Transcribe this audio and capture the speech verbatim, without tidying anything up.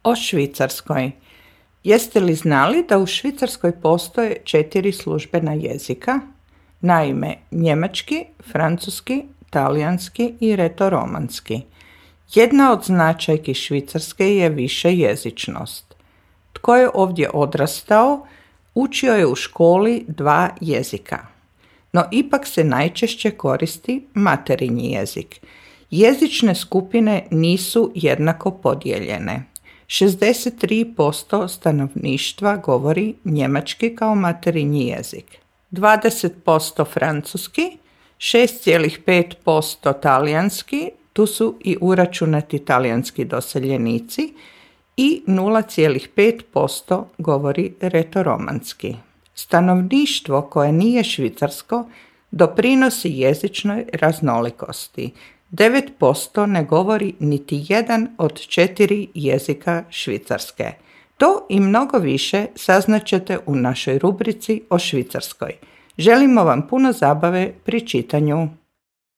O Švicarskoj. Jeste li znali da u Švicarskoj postoje četiri službena jezika? Naime, njemački, francuski, talijanski i retoromanski. Jedna od značajki Švicarske je višejezičnost. Tko je ovdje odrastao, učio je u školi dva jezika. No ipak se najčešće koristi materinji jezik. Jezične skupine nisu jednako podijeljene. šezdeset tri posto stanovništva govori njemački kao materinji jezik, dvadeset posto francuski, šest zarez pet posto talijanski, tu su i uračunati talijanski doseljenici, i nula zarez pet posto govori retoromanski. Stanovništvo koje nije švicarsko doprinosi jezičnoj raznolikosti. devet posto ne govori niti jedan od četiri jezika Švicarske. To i mnogo više saznaćete u našoj rubrici o Švicarskoj. Želimo vam puno zabave pri čitanju.